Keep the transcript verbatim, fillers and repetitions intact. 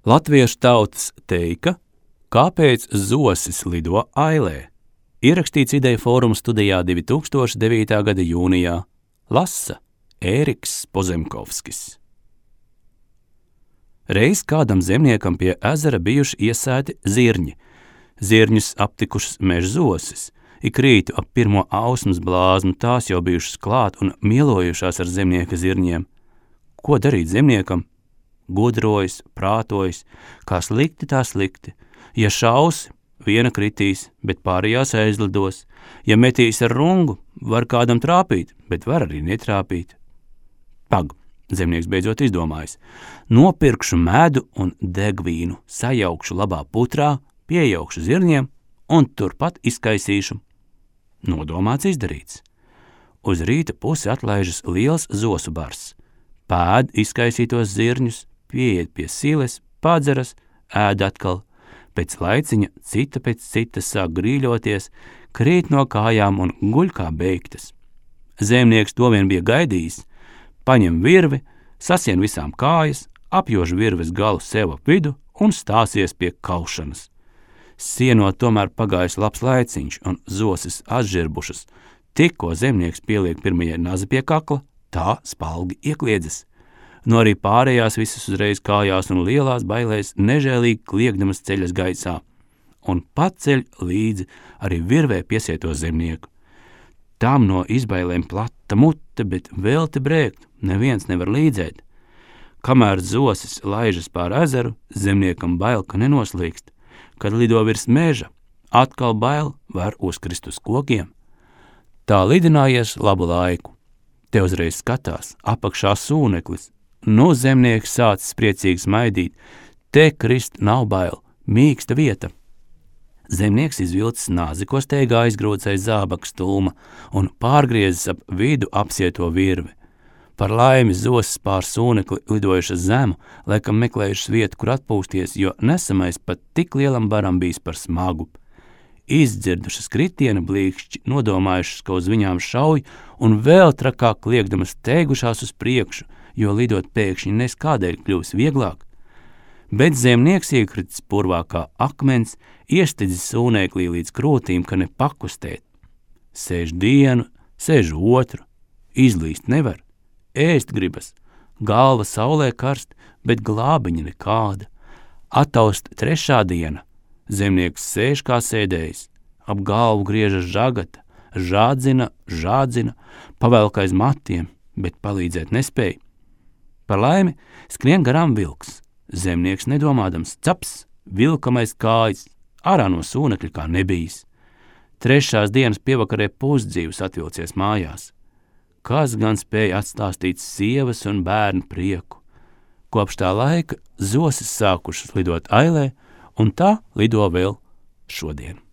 Latviešu tautas teika, kāpēc zosis lido ailē? Ierakstīts Ideja fóruma studijā divi tūkstoši devītā gada jūnijā. Lasa Ēriks Pozemkovskis. Reiz kādam zemniekam pie ezera bijuši iesēti zirņi. Zirņus aptikušas meža zosis. Ik rītu ap pirmo ausmas blāzmu tās jau bijušas klāt un mielojušās ar zemnieka zirņiem. Ko darīt zemniekam? Gudrojas, prātojas, kā slikti tā slikti. Ja šausi, viena kritīs, bet pārējās aizlidos. Ja metīs ar rungu, var kādam trāpīt, bet var arī netrāpīt. Pag, zemnieks beidzot izdomājis. Nopirkšu medu un degvīnu, sajaukšu labā putrā, piejaukšu zirņiem un turpat izkaisīšu. Nodomāts izdarīts. Uz rīta pusi atlaižas liels zosu bars. Pēd izkaisītos zirņus, pieiet pie siles, padzeras, ēd atkal. Pēc laiciņa cita pēc citas sāk grīļoties, krīt no kājām un guļ kā beigtas. Zemnieks to vien bija gaidījis, paņem virvi, sasien visām kājas, apjož virves galu sev ap vidu un stāsies pie kaušanas. Sienot tomēr pagājis labs laiciņš un zosis atžirbušas. Tikko zemnieks pieliek pirmajai nazi pie kakla, tā spalgi iekliedzas. No arī pārējās visas uzreiz kājās un lielās bailēs nežēlīgi kliegdamas ceļas gaisā, un paceļ līdzi arī virvē piesieto zemnieku. Tam no izbailēm plata mute, bet vēl te brēkt, neviens nevar līdzēt. Kamēr zosis laižas pār ezeru, zemniekam bail, ka nenoslīkst. Kad lido virs meža, atkal bail var uzkrist uz kokiem. Tā lidinājies labu laiku. Te uzreiz skatās, apakšā sūneklis. Nu zemnieks sācis priecīgi smaidīt. Te krist nav bail, mīksta vieta. Zemnieks izvilcis nāzi, ko steigā aizgrūts aiz zābaka stulma un pārgriezis ap vidu apsieto virvi. Par laimi zosis pār sūnekli lidojušas zemu, laikam meklējušas vietu, kur atpūsties, jo nesamais pat tik lielam baram bijis par smagu. Izdzirdušas kritiena blīkšķi, nodomājušas, ka uz viņām šauj, un vēl trakāk kliegdamas steigušās uz priekšu, jo lidot pēkšņi nes kādēļ kļūs vieglāk. Bet zemnieks iekritis purvā kā akmens, iestidzis sūneklī līdz krūtīm, ka ne pakustēt. Sēž dienu, sēž otru, izlīst nevar, ēst gribas, galva saulē karst, bet glābiņa nekāda. Ataust trešā diena, zemnieks sēž kā sēdējis, ap galvu griežas žagata, žādzina, žādzina, pavelk aiz matiem, bet palīdzēt nespēj. Par laimi skrien garām vilks. Zemnieks nedomādams caps, vilkam aiz kājas, ārā no sūnekļa kā nebijis. Trešās dienas pievakarē pusdzīvs atvilcies mājās. Kas gan spēja atstāstīt sievas un bērnu prieku? Kopš tā laika zosis sākušas lidot ailē, un tā lido vēl šodien.